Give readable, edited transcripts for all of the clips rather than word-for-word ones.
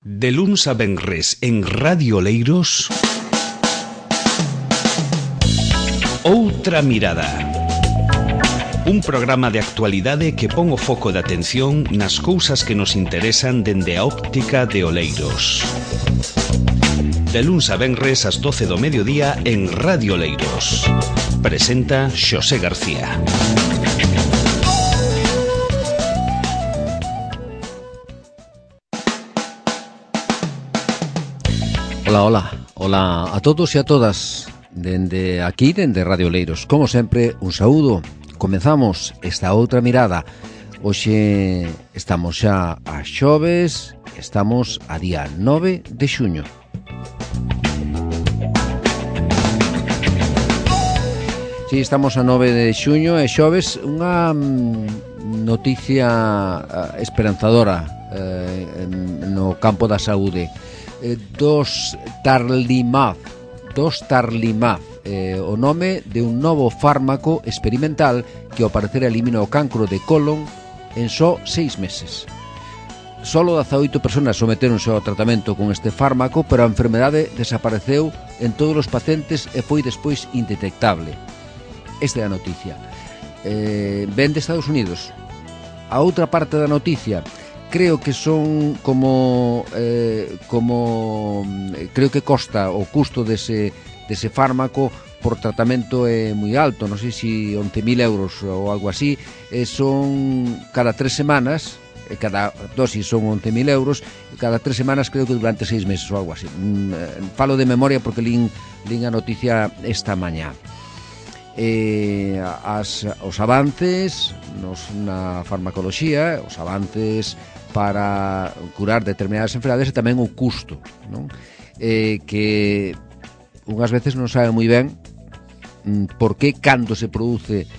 De luns a venres en Radio Oleiros, Outra Mirada. Un programa de actualidade que pon o foco de atención nas cousas que nos interesan dende a óptica de Oleiros. De luns a venres ás 12 do mediodía en Radio Oleiros. Presenta Xosé García. Hola a todos e a todas. Dende aquí, dende Radio Oleiros, como sempre, un saúdo. Comezamos esta outra mirada. Hoxe estamos xa a xoves, estamos a día 9 de xuño. Si, estamos a 9 de xuño e xoves, unha noticia esperanzadora no campo da saúde. Dos Tarlimab, o nome de un novo fármaco experimental que ao parecer elimina o cancro de colon en só 6 meses. Solo 18 personas someteronse ao tratamento con este fármaco, pero a enfermedade desapareceu en todos os pacientes e foi despois indetectable. Esta é a noticia. Ven de Estados Unidos. A outra parte da noticia, creo que son como creo que costa o custo dese fármaco por tratamento é moi alto, non sei se 11.000 euros ou algo así, son cada 3 semanas, cada dosis son 11.000 euros, cada 3 semanas creo que durante 6 meses ou algo así. Falo de memoria porque lín a noticia esta mañá. Os avances na farmacoloxía, os avances para curar determinadas enfermedades e tamén o custo, non? Que unhas veces non sabe moi ben por que cando se produce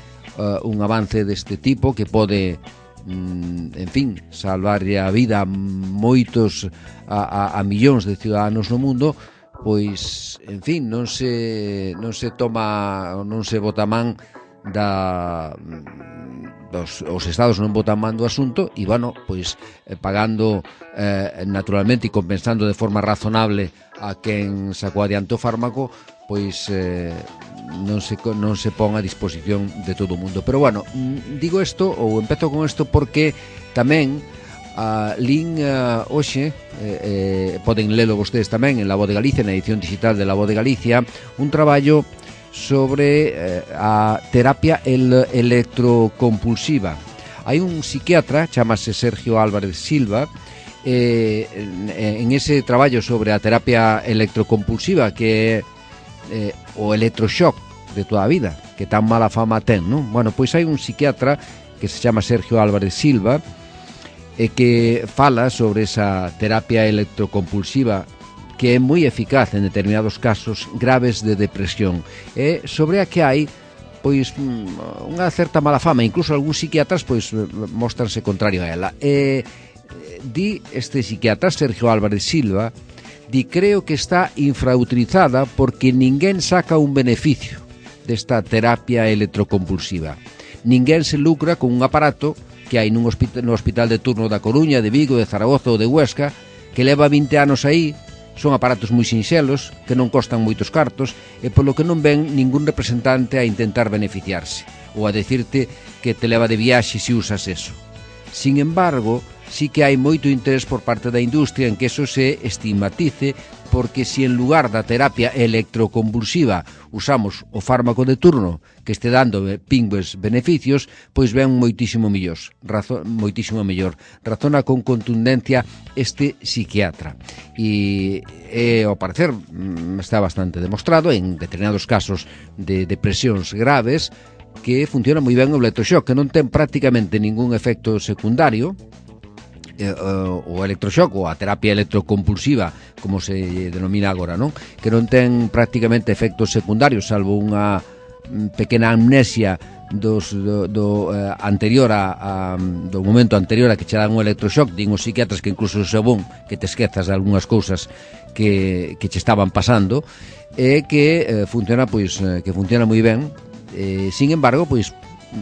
un avance deste tipo que pode, en fin, salvarlle a vida a moitos, a millóns de ciudadanos no mundo, pois, en fin, non se toma, non se bota man os estados non botan man do asunto e, bueno, pois pagando naturalmente e compensando de forma razonable a quen sacou adiante o fármaco, pois non se pon a disposición de todo o mundo. Pero, bueno, digo isto, ou empezo con isto, porque tamén lín hoxe, poden lelo vostedes tamén en La Voz de Galicia, na edición digital de La Voz de Galicia, un traballo sobre a terapia electrocompulsiva. Hai un psiquiatra, chamase Sergio Álvarez Silva, en ese traballo sobre a terapia electrocompulsiva, que é o electroshock de toda a vida, que tan mala fama ten, non? Bueno, pois hai un psiquiatra que se chama Sergio Álvarez Silva e que fala sobre esa terapia electrocompulsiva que é moi eficaz en determinados casos graves de depresión, e sobre a que hai pois unha certa mala fama, incluso algúns psiquiatras pois mostranse contrario a ela. Di este psiquiatra, Sergio Álvarez Silva, creo que está infrautilizada porque ninguén saca un beneficio desta terapia electrocompulsiva. Ninguén se lucra con un aparato que hai no hospital de turno da Coruña, de Vigo, de Zaragoza ou de Huesca, que leva 20 anos aí. Son aparatos moi sinxelos, que non costan moitos cartos, e polo que non ven ningún representante a intentar beneficiarse, ou a decirte que te leva de viaxe se usas eso. Sin embargo, sí que hai moito interés por parte da industria en que eso se estigmatice, porque se en lugar da terapia electroconvulsiva usamos o fármaco de turno que este dando pingües beneficios, pois ven moitísimo mellor. Razona con contundencia este psiquiatra. E ao parecer está bastante demostrado en determinados casos de depresións graves que funciona moi ben o electroshock, que non ten prácticamente ningún efecto secundario. O electroshock ou a terapia electrocompulsiva, como se denomina agora, non? Que non ten prácticamente efectos secundarios, salvo unha pequena amnesia do anterior do momento anterior a que che dan un electroshock. Din os psiquiatras que incluso é bon que te esquezas de algunhas cousas que che estaban pasando, e que funciona moi ben. Sin embargo, pois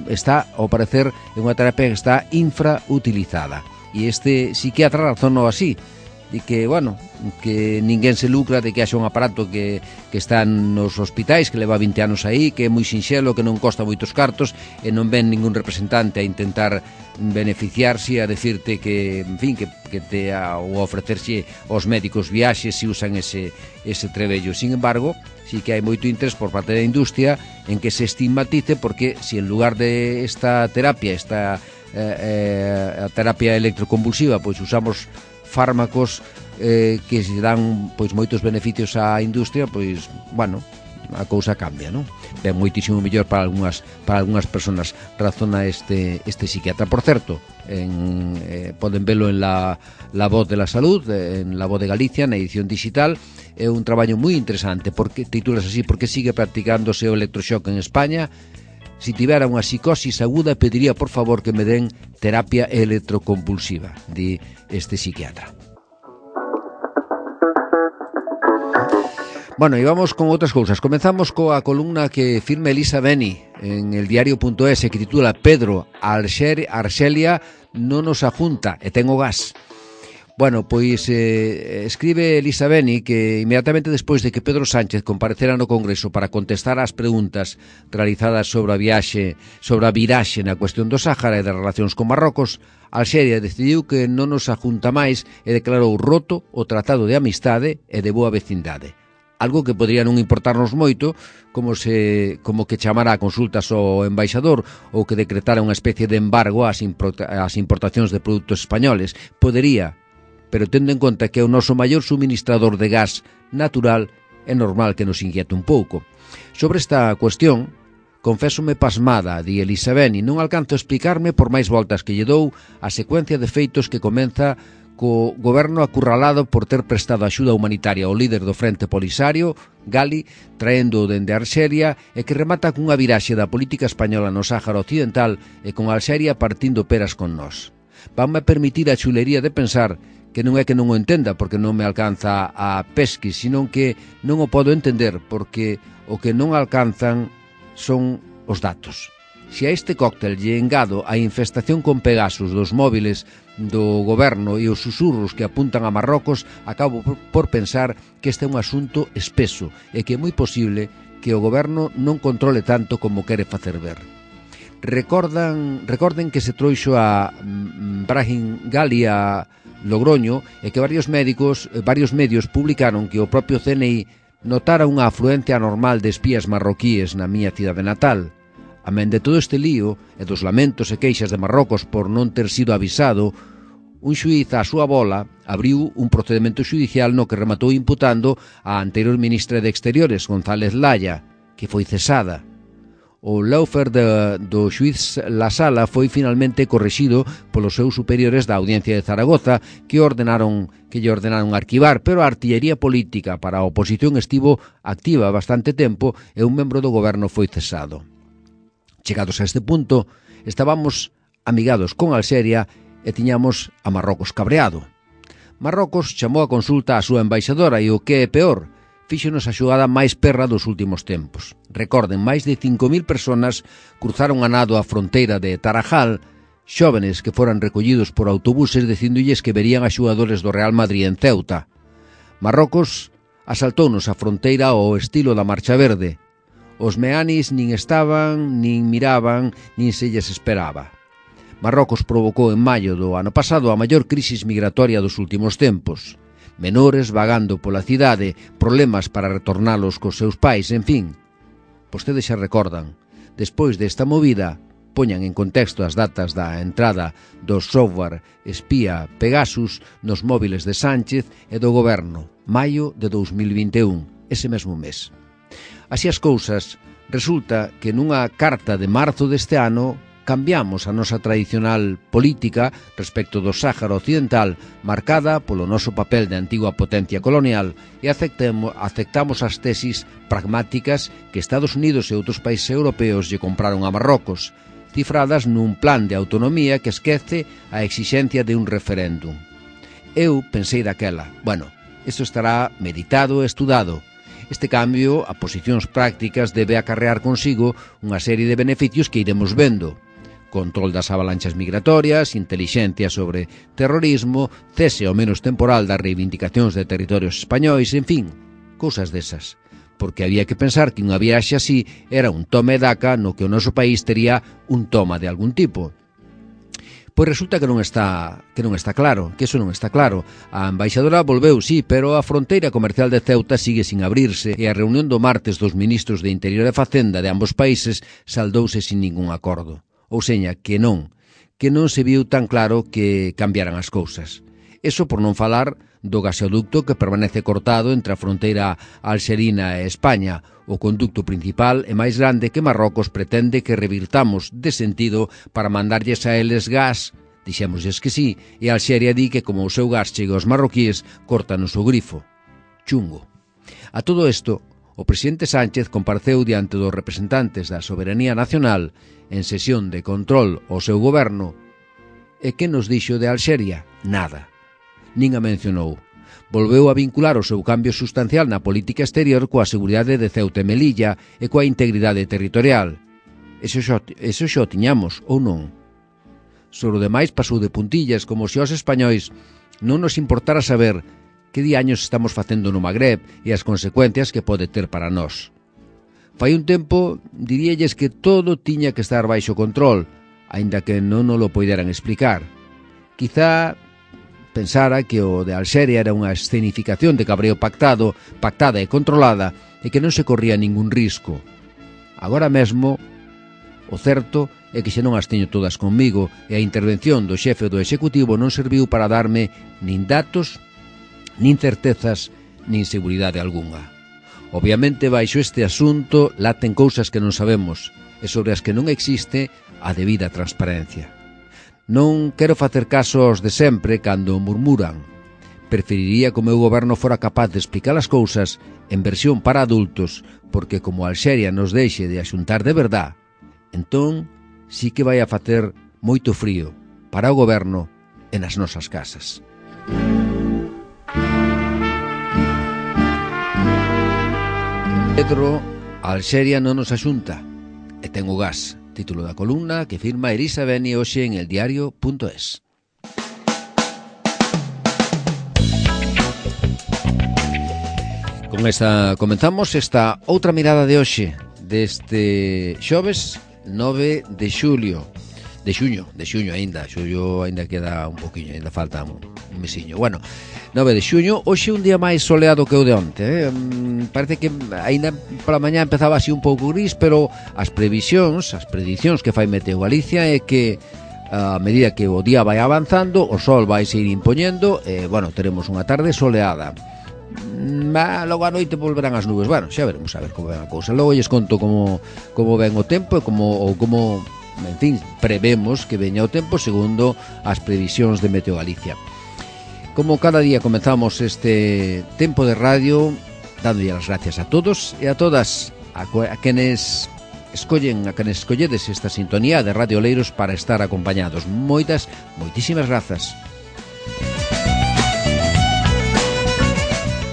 está, ao parecer, é unha terapia que está infrautilizada. E este psiquiatra razónao así, de que, bueno, que ninguén se lucra de que haxa un aparato que está nos hospitais, que leva 20 anos aí, que é moi sinxelo, que non costa moitos cartos, e non ven ningún representante a intentar beneficiarse, a decirte que, en fin, que te ou ofrecerse aos médicos viaxes se usan ese trebello. Sin embargo, sí que hai moito interés por parte da industria en que se estigmatice, porque se en lugar de esta terapia, a terapia electroconvulsiva, pois usamos fármacos que se dan pois moitos beneficios á industria, pois, bueno, a cousa cambia, non? Ben moitísimo mellor para algunhas persoas, razona este psiquiatra. Por certo, poden velo en la Voz de la Salud, en La Voz de Galicia, na edición digital. É un traballo moi interesante, porque titulas así: porque sigue practicándose o electroshock en España? Si tivera unha psicosis aguda, pediría por favor que me den terapia electroconvulsiva, di este psiquiatra. Bueno, e vamos con outras cousas. Comenzamos coa columna que firma Elisa Beni en el diario.es, que titula Pedro, Arxelia non nos ajunta e ten o gas. Bueno, pois escribe Elisa Beni que inmediatamente despois de que Pedro Sánchez comparecera no Congreso para contestar ás preguntas realizadas sobre a viraxe na cuestión do Sáhara e das relacións con Marrocos, Alxeria decidiu que non nos ajunta máis e declarou roto o tratado de amistade e de boa vecindade. Algo que podría non importarnos moito, como que chamara a consultas ao embaixador ou que decretara unha especie de embargo ás importacións de produtos españoles. Podería, pero tendo en conta que é o noso maior suministrador de gas natural, é normal que nos inquiete un pouco. Sobre esta cuestión, confésome pasmada, di Elisa Beni, non alcanzo a explicarme por máis voltas que lle dou a secuencia de feitos que comeza co goberno acurralado por ter prestado axuda humanitaria ao líder do Frente Polisario, Gali, traendo dende Arxelia, e que remata cunha viraxe da política española no Sáhara Occidental e con Alxeria partindo peras con nós. Vanme permitir a chulería de pensar que non é que non o entenda porque non me alcanza a pesquis, sino que non o podo entender porque o que non alcanzan son os datos. Se a este cóctel lle engado a infestación con Pegasus dos móviles do goberno e os susurros que apuntan a Marrocos, acabo por pensar que este é un asunto espeso e que é moi posible que o goberno non controle tanto como quere facer ver. Recorden que se trouxo a Brahim Gali a Logroño e que varios medios publicaron que o propio CNI notara unha afluencia anormal de espías marroquíes na miña cidade natal. Amén de todo este lío e dos lamentos e queixas de Marrocos por non ter sido avisado, un xuíz á súa bola abriu un procedimento xudicial no que rematou imputando a anterior ministra de Exteriores, González Laya, que foi cesada. O lawfare do xuíz La Sala foi finalmente correxido polos seus superiores da Audiencia de Zaragoza que lle ordenaron arquivar, pero a artillería política para a oposición estivo activa bastante tempo e un membro do goberno foi cesado. Chegados a este punto, estábamos amigados con Alxeria e tiñamos a Marrocos cabreado. Marrocos chamou a consulta á súa embaixadora e o que é peor, fíxonos a xogada máis perra dos últimos tempos. Recorden, máis de 5.000 personas cruzaron a nado a fronteira de Tarajal, xóvenes que foran recollidos por autobuses dicindolles que verían a xogadores do Real Madrid en Ceuta. Marrocos asaltounos a fronteira ao estilo da Marcha Verde. Os meanis nin estaban, nin miraban, nin se lles esperaba. Marrocos provocou en maio do ano pasado a maior crisis migratoria dos últimos tempos. Menores vagando pola cidade, problemas para retornalos cos seus pais, en fin. Vostedes xa recordan, despois desta movida, poñan en contexto as datas da entrada do software espía Pegasus nos móviles de Sánchez e do goberno, maio de 2021, ese mesmo mes. Así as cousas, resulta que nunha carta de marzo deste ano cambiamos a nosa tradicional política respecto do Sáhara Occidental, marcada polo noso papel de antigua potencia colonial, e aceptamos as tesis pragmáticas que Estados Unidos e outros países europeos lle compraron a Marrocos, cifradas nun plan de autonomía que esquece a exixencia de un referéndum. Eu pensei daquela, bueno, isto estará meditado e estudado. Este cambio a posicións prácticas debe acarrear consigo unha serie de beneficios que iremos vendo. control das avalanchas migratorias, intelixencia sobre terrorismo, cese ao menos temporal das reivindicacións de territorios españois, en fin, cousas desas. Porque había que pensar que unha viaxe así era un toma e daca no que o noso país tería un toma de algún tipo. Pois resulta que non está claro, que eso non está claro. A embaixadora volveu, sí, pero a fronteira comercial de Ceuta sigue sin abrirse e a reunión do martes dos ministros de Interior e Facenda de ambos países saldouse sin ningún acordo. Ou seña, que non se viu tan claro que cambiaran as cousas. Eso por non falar do gasoducto que permanece cortado entre a fronteira alxerina e España, o conducto principal e máis grande que Marrocos pretende que revirtamos de sentido para mandarlles a eles gas. Dixémosles que sí, e Alxeria di que como o seu gas chega aos marroquíes, córtanos o grifo. Chungo. A todo isto, o presidente Sánchez compareceu diante dos representantes da soberanía nacional en sesión de control ao seu goberno. E que nos dixo de Alxeria? Nada. Nin a mencionou. Volveu a vincular o seu cambio sustancial na política exterior coa seguridade de Ceuta e Melilla e coa integridade territorial. Eso xo tiñamos, ou non? Sobre o demais pasou de puntillas, como se aos españois non nos importara saber que diaños estamos facendo no Magreb e as consecuencias que pode ter para nós. Fai un tempo diríalles que todo tiña que estar baixo control, aínda que non nos lo poideran explicar. Quizá pensara que o de Alxeria era unha escenificación de cabreo pactada e controlada e que non se corría ningún risco. Agora mesmo, o certo é que xa non as teño todas conmigo e a intervención do xefe do Executivo non serviu para darme nin datos, nin certezas, nin seguridade algunha. Obviamente, baixo este asunto laten cousas que non sabemos e sobre as que non existe a debida transparencia. Non quero facer caso aos de sempre cando murmuran. Preferiría que o meu goberno fora capaz de explicar as cousas en versión para adultos, porque como Alxeria nos deixe de axuntar de verdad, entón sí que vai a facer moito frío para o goberno e nas nosas casas. Pedro, Alxeria non nos axunta e ten o gas. Título da columna que firma Elisa Beni hoxe en eldiario.es. Con esta comenzamos esta outra mirada de hoxe deste xoves 9 de xulio. De xuño aínda. Xullo aínda queda un poquinho, aínda falta un mesiño. Bueno, 9 de xuño, hoxe un día máis soleado que o de onte. Parece que aínda pola mañá empezaba así un pouco gris, pero as predicións que fai Meteo Galicia é que a medida que o día vai avanzando, o sol vai se ir impoñendo e, bueno, teremos unha tarde soleada. Logo a noite volverán as nubes. Bueno, xa veremos a ver como ven a cousa. Logo lles conto como ven o tempo e como en fin, prevemos que veña o tempo segundo as previsións de Meteo Galicia. Como cada día comenzamos este tempo de radio dándolle as gracias a todos e a todas a quenes escolledes esta sintonía de Radio Oleiros para estar acompañados. Moitísimas grazas.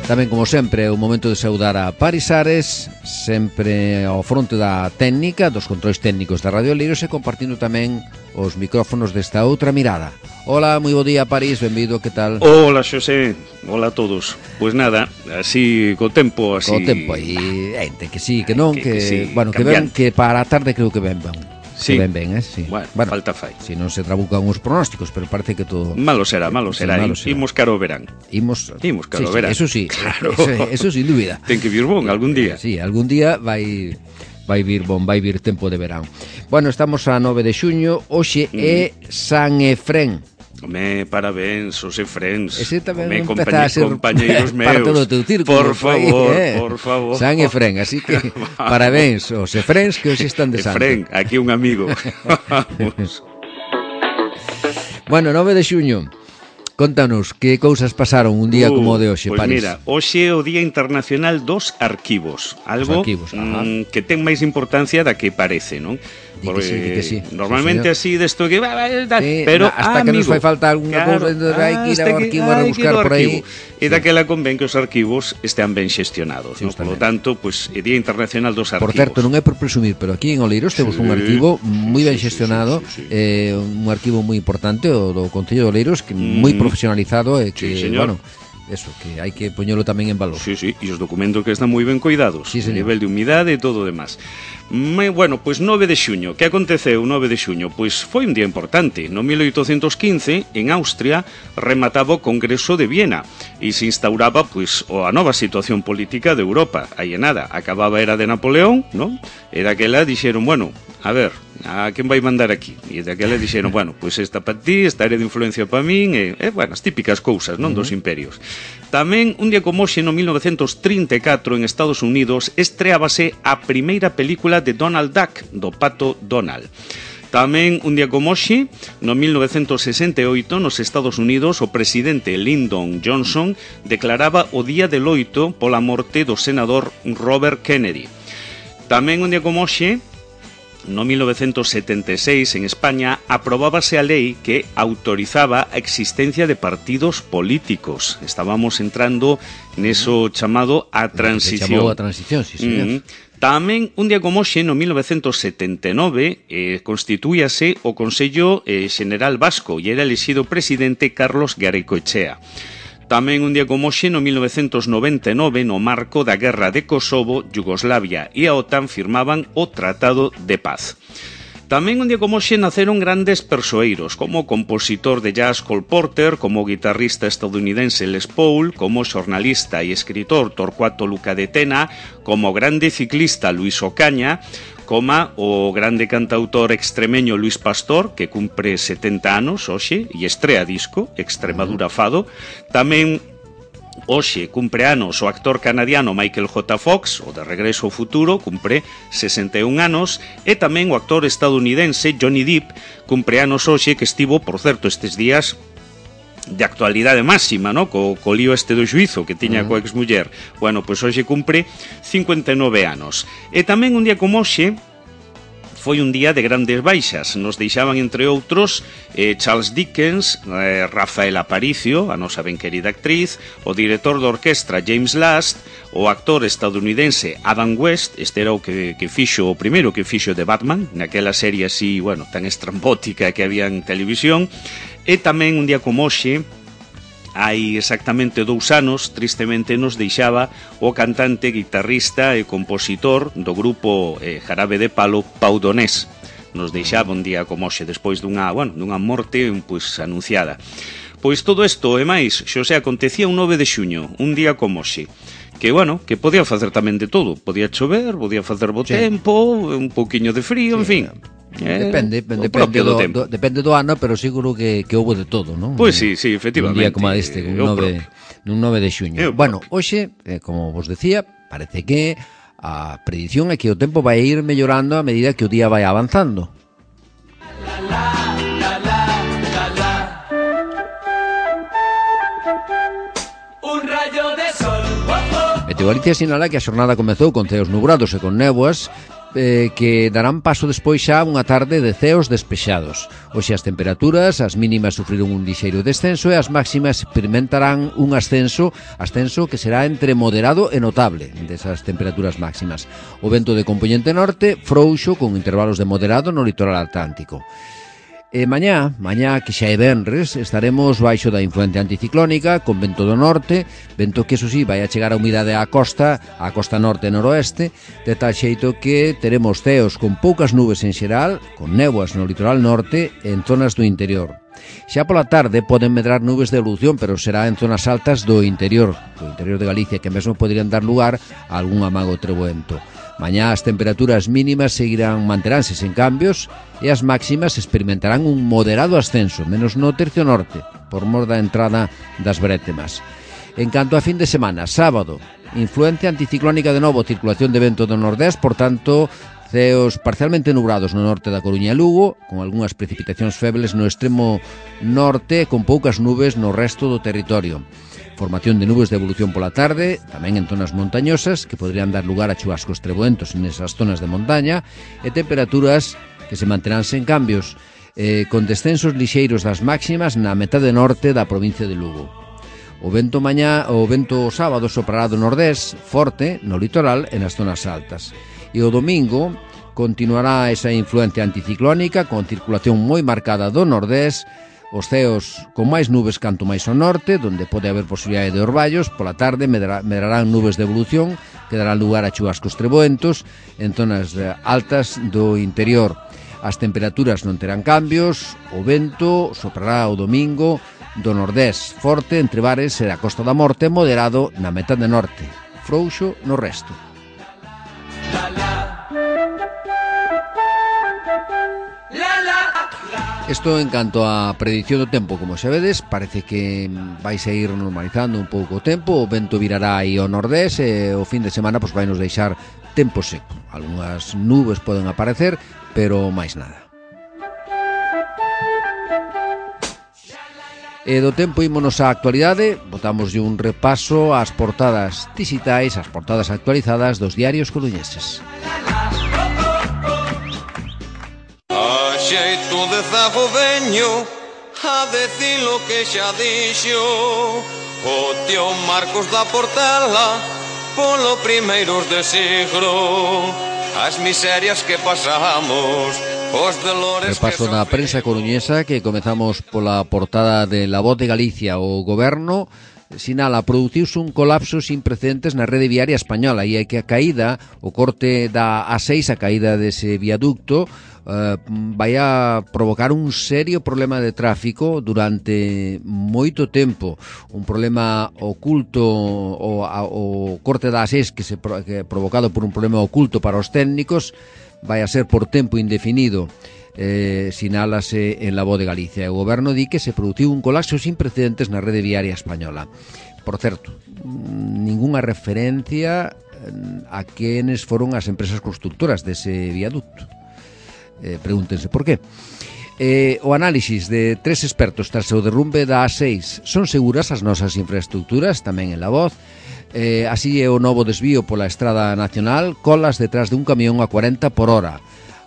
Tamén, como sempre, é o momento de saudar a Paris Ares, sempre ao fronte da técnica, dos controis técnicos da Radio Oleiros e compartindo tamén os micrófonos desta outra mirada. Hola, moi bo día, París, benvido, que tal? Hola, Xosé, hola a todos. Pois nada, así, co tempo, así... Co tempo, aí, ente que sí, que non, que sí, bueno, que ven, que para a tarde creo que ven. Sí. Que ben, sí. Bueno, falta fai. Si non se trabucan os pronósticos, pero parece que todo... Malo será. Imos caro verán. Imos caro verán. Eso sí, claro. Eso sin dúbida. Ten que vir bon algún día. Sí, algún día vai vir bon, vai vir tempo de verán. Bueno, estamos a 9 de xuño, hoxe é San Efrén. Home, parabéns, os Efréns. Ese tamén empeza a ser compañeiros meus. Parte do teu círculo. Por favor. San Efrén, así que parabéns aos Efréns que hoxe están de santo. Efrén, aquí un amigo. Bueno, 9 de xuño. Contanos, que cousas pasaron un día como o de hoxe, Pois París? mira, hoxe é o Día Internacional dos Arquivos. Algo que ten máis importancia da que parece, non? Porque sí. Normalmente así desto que sí, pero hasta que nos fai falta alguna cousa, hai que ir ao arquivo a rebuscar por aí. E daquela convén que os arquivos estean ben xestionados, sí, non? Por lo tanto, pois é Día Internacional dos Arquivos. Por certo, non é por presumir, pero aquí en Oleiros temos un arquivo moi ben xestionado, un arquivo moi importante, o do Concello de Oleiros, que moi profesionalizado e que, bueno, eso, que hai que poñelo tamén en valor. Sí, e os documentos que están moi ben cuidados, a nivel de humidade e todo o demás. Bueno, pois 9 de xuño, que aconteceu 9 de xuño? Pois foi un día importante. No 1815, en Austria, remataba o Congreso de Viena e se instauraba pois a nova situación política de Europa. Aí é nada, acababa a era de Napoleón, non? E daquela dixeron, bueno, a ver, a quen vai mandar aquí? E daquela dixeron, bueno, pois esta para ti, esta área de influencia para min, bueno, as típicas cousas, non, dos imperios. Tamén, un día como hoxe, no 1934, en Estados Unidos, estreábase a primeira película de Donald Duck, do Pato Donald. Tamén, un día como hoxe, no 1968, nos Estados Unidos, o presidente Lyndon Johnson declaraba o Día de Loito pola morte do senador Robert Kennedy. Tamén, un día como hoxe, no 1976, en España, aprobábase a lei que autorizaba a existencia de partidos políticos. Estábamos entrando neso chamado a transición. Chamou a transición, sí, señor. Tamén, un día como hoxe, no 1979, constituíase o Consello Xeneral Vasco e era elixido presidente Carlos Garaikoetxea. Tamén un día como hoxe, no 1999, no marco da Guerra de Kosovo, Yugoslavia e a OTAN firmaban o Tratado de Paz. Tamén un día como hoxe naceron grandes persoeiros, como o compositor de jazz Cole Porter, como o guitarrista estadounidense Les Paul, como o xornalista e escritor Torcuato Luca de Tena, como o grande ciclista Luis Ocaña, como o grande cantautor extremeño Luis Pastor, que cumpre 70 anos hoxe e estrea disco, Extremadura Fado. Tamén hoxe cumpre anos o actor canadiano Michael J. Fox, o de Regreso ao Futuro, cumpre 61 anos, e tamén o actor estadounidense Johnny Depp cumpre anos hoxe, que estivo, por certo, estes días de actualidade máxima, no? Co lío este do xuizo que tiña coa exmuller. Bueno, pois hoxe cumpre 59 anos. E tamén un día como hoxe foi un día de grandes baixas. Nos deixaban, entre outros, Charles Dickens, Rafael Aparicio, a nosa ben querida actriz, o director de orquestra James Last, o actor estadounidense Adam West, este era o que fixo, o primeiro que fixo de Batman, naquela serie así, bueno, tan estrambótica que había en televisión. E tamén un día como hoxe, hai exactamente 2 anos, tristemente nos deixaba o cantante, guitarrista e compositor do grupo Jarabe de Palo, Pau Donés. Nos deixaba un día como hoxe, despois dunha morte pois anunciada. Pois todo isto e máis, Xosé, acontecía un 9 de xuño, un día como hoxe, que, bueno, que podía facer tamén de todo. Podía chover, podía facer bo tempo, un pouquiño de frío, en fin. Depende do ano, pero seguro que houve de todo, non? Pois sí, efectivamente. Un día como este, un 9 de xuño. Bueno, hoxe, como vos decía, parece que a predición é que o tempo vai ir mellorando a medida que o día vai avanzando. Meteoroloxía sinala que a xornada comezou con ceos nubrados e con néboas, que darán paso despois xa unha tarde de ceos despexados. Hoxe as temperaturas, as mínimas sufriron un lixeiro descenso e as máximas experimentarán un ascenso que será entre moderado e notable desas temperaturas máximas. O vento de compoñente norte frouxo con intervalos de moderado no litoral atlántico. E mañá, que xa é venres, estaremos baixo da influencia anticiclónica, con vento do norte, vento que, eso sí, vai a chegar a humidade á costa norte e noroeste, de tal xeito que teremos ceos con poucas nubes en xeral, con néboas no litoral norte e en zonas do interior. Xa pola tarde poden medrar nubes de evolución, pero será en zonas altas do interior de Galicia, que mesmo poderían dar lugar a algún amago treboento. Mañá as temperaturas mínimas manteránse sen cambios e as máximas experimentarán un moderado ascenso, menos no tercio norte, por mor da entrada das brétemas. En canto a fin de semana, sábado, influencia anticiclónica de novo, circulación de vento do nordés, por tanto, Ceos parcialmente nubrados no norte da Coruña e Lugo, con algunhas precipitacións febles no extremo norte e con poucas nubes no resto do territorio. Formación de nubes de evolución pola tarde, tamén en zonas montañosas, que podrían dar lugar a chubascos treboentos nesas zonas de montaña, e temperaturas que se manterán sen cambios, con descensos lixeiros das máximas na metade norte da provincia de Lugo. O vento sábado soprará do nordés, forte, no litoral e nas zonas altas. E o domingo continuará esa influencia anticiclónica con circulación moi marcada do nordés, os ceos con máis nubes canto máis ao norte, donde pode haber posibilidade de orballos. Pola tarde medrarán nubes de evolución que darán lugar a chubascos treboentos en zonas altas do interior. As temperaturas non terán cambios, o vento soprará o domingo do nordés, forte entre bares e a Costa da Morte, moderado na metade norte, frouxo no resto. Isto en canto a predición do tempo, como xa vedes, parece que vai a ir normalizando un pouco o tempo, o vento virará aí ao nordés e o fin de semana vai nos deixar tempo seco. Algunhas nubes poden aparecer, pero máis nada. E do tempo ímonos á actualidade, botamos un repaso ás portadas dixitais, ás portadas actualizadas dos diarios coruñeses. A xeito de zago veño a decir lo que xa dixo o tío Marcos da Portela polo primeiros de siglo, as miserias que pasamos. Repaso na prensa coruñesa, que comezamos pola portada de La Voz de Galicia. O goberno sinala produciuse un colapso sin precedentes na rede viaria española e hai que a caída, o corte da A6, a caída dese viaducto, vai a provocar un serio problema de tráfico durante moito tempo, un problema oculto, o corte da A6 que provocado por un problema oculto para os técnicos, vai a ser por tempo indefinido, sinálase en La Voz de Galicia. O goberno di que se produciu un colapso sin precedentes na rede viaria española. Por certo, ningunha referencia a quenes foron as empresas constructoras dese viaducto. Pregúntense por qué. O análisis de 3 expertos tras o derrumbe da A6: son seguras as nosas infraestructuras? Tamén en La Voz. Así é o novo desvío pola Estrada Nacional, colas detrás de un camión a 40 por hora.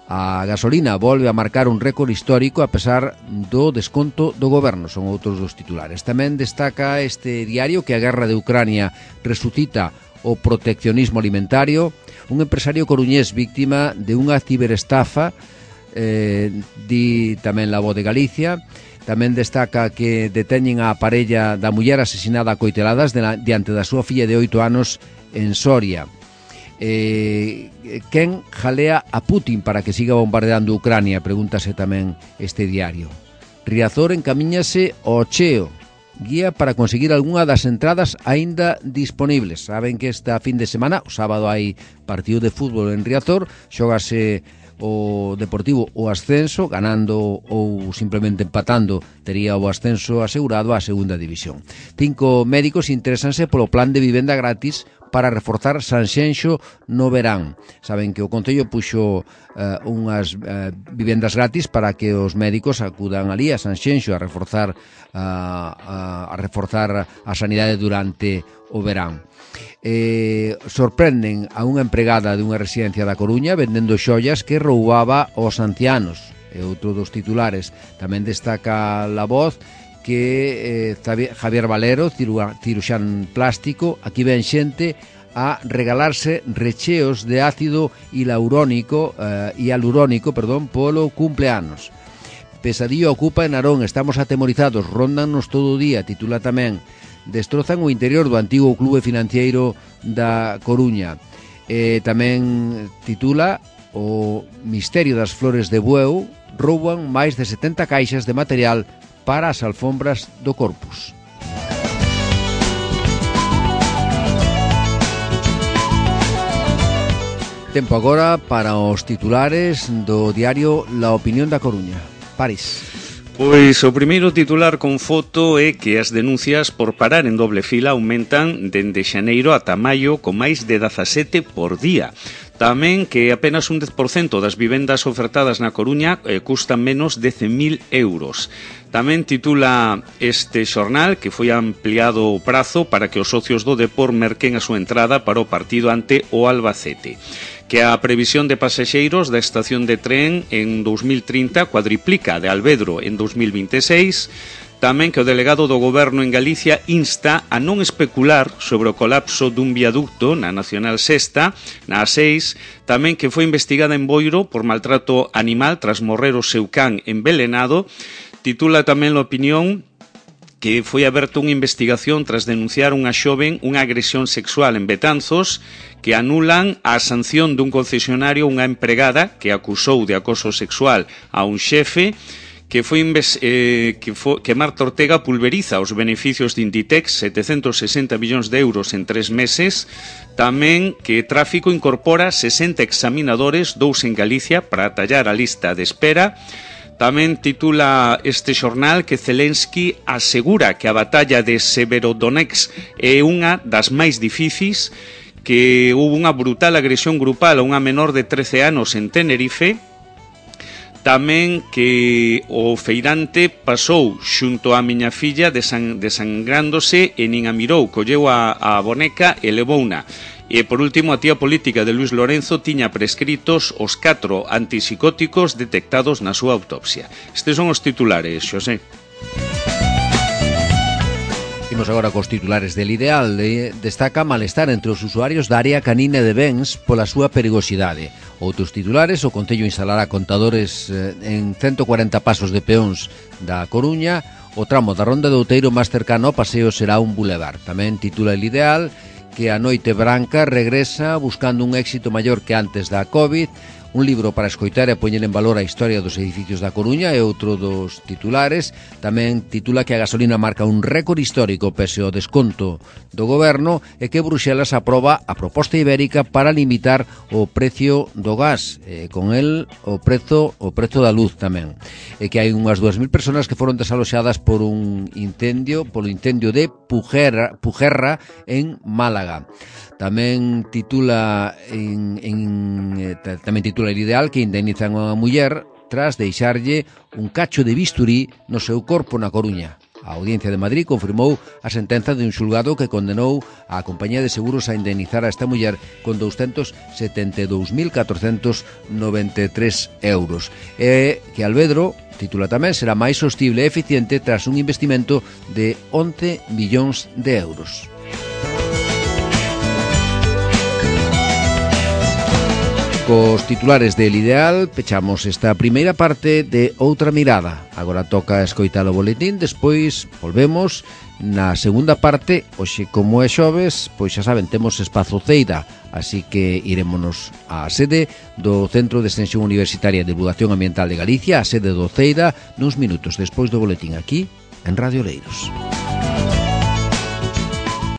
A gasolina volve a marcar un récord histórico a pesar do desconto do goberno, son outros dos titulares. Tamén destaca este diario que a guerra de Ucrania resucita o proteccionismo alimentario. Un empresario coruñés víctima de unha ciberestafa, di tamén La Voz de Galicia. Tamén destaca que deteñen a parella da muller asesinada a coiteladas diante da súa filla de 8 anos en Soria. Quen jalea a Putin para que siga bombardeando Ucrania? Pregúntase tamén este diario. Riazor encamíñase ao cheo, guía para conseguir algunha das entradas aínda disponibles. Saben que esta fin de semana, o sábado, hai partido de fútbol en Riazor, xógase o Deportivo o ascenso, ganando ou simplemente empatando tería o ascenso asegurado á segunda división. 5 médicos interesanse polo plan de vivenda gratis para reforzar Sanxenxo no verán. Saben que o Concello puxo unhas vivendas gratis para que os médicos acudan ali a Sanxenxo a reforzar a sanidade durante o verán. Sorprenden a unha empregada de unha residencia da Coruña vendendo xollas que roubaba aos ancianos. É outro dos titulares. Tamén destaca La Voz que Javier Valero, ciruxán plástico, aquí ven xente a regalarse recheos de ácido hialurónico polo cumpleanos. Pesadillo ocupa en Narón, estamos atemorizados, rondannos todo o día, titula tamén. Destrozan o interior do antigo clube financiero da Coruña. Tamén titula o misterio das flores de Bueu, rouban máis de 70 caixas de material para as alfombras do Corpus. Tempo agora para os titulares do diario La Opinión da Coruña. París. Pois o primeiro titular con foto é que as denuncias por parar en doble fila aumentan dende xaneiro ata maio con máis de 17 por día. Tamén que apenas un 10% das vivendas ofertadas na Coruña custan menos de 100.000 euros. Tamén titula este xornal que foi ampliado o prazo para que os socios do Depor merquen a súa entrada para o partido ante o Albacete. Que a previsión de pasaxeiros da estación de tren en 2030 cuadriplica de Alvedro en 2026. Tamén que o delegado do Goberno en Galicia insta a non especular sobre o colapso dun viaducto na Nacional Sexta, na A6. Tamén que foi investigada en Boiro por maltrato animal tras morrer o seu can envelenado. Titula tamén a opinión que foi aberta unha investigación tras denunciar unha xoven unha agresión sexual en Betanzos, que anulan a sanción dun concesionario unha empregada que acusou de acoso sexual a un xefe, que Marta Ortega pulveriza os beneficios de Inditex, 760 millóns de euros en 3 meses. Tamén que Tráfico incorpora 60 examinadores, 2 en Galicia, para atallar a lista de espera. Tamén titula este xornal que Zelensky asegura que a batalla de Severodonetsk é unha das máis difíciles, que houve unha brutal agresión grupal a unha menor de 13 anos en Tenerife. Tamén que o feirante pasou xunto á miña filla desangrándose e nin a mirou, colleu a boneca e levouna. E, por último, a tía política de Luis Lorenzo tiña prescritos os 4 antipsicóticos detectados na súa autopsia. Estes son os titulares, Xosé. Imos agora cos titulares del Ideal. Destaca malestar entre os usuarios da área canina de Bens pola súa perigosidade. Outros titulares: o Concello instalará contadores en 140 pasos de peóns da Coruña. O tramo da Ronda de Outeiro máis cercano ao paseo será un bulevar. Tamén titula el Ideal que a Noite Branca regresa buscando un éxito maior que antes da Covid. Un libro para escoitar e poñer en valor a historia dos edificios da Coruña é outro dos titulares. Tamén titula que a gasolina marca un récord histórico pese ao desconto do goberno e que Bruxelas aproba a proposta ibérica para limitar o precio do gas, con el o prezo da luz tamén. E que hai unhas 2.000 personas que foron desaloxadas por polo incendio de Pujerra en Málaga. Tamén titula el Ideal que indemnizan a unha muller tras deixarlle un cacho de bisturí no seu corpo na Coruña. A Audiencia de Madrid confirmou a sentenza de un xulgado que condenou a compañía de seguros a indemnizar a esta muller con 272.493 euros. E que Alvedro, titula tamén, será máis sostible e eficiente tras un investimento de 11 millóns de euros. Cos titulares del Ideal pechamos esta primeira parte de Outra Mirada. Agora toca escoitar o boletín, despois volvemos na segunda parte. Hoxe, como é xoves, pois xa saben, temos espazo Ceida, así que irémonos á sede do Centro de Extensión Universitaria de Divulgación Ambiental de Galicia, a sede do Ceida, nuns minutos despois do boletín aquí en Radio Oleiros.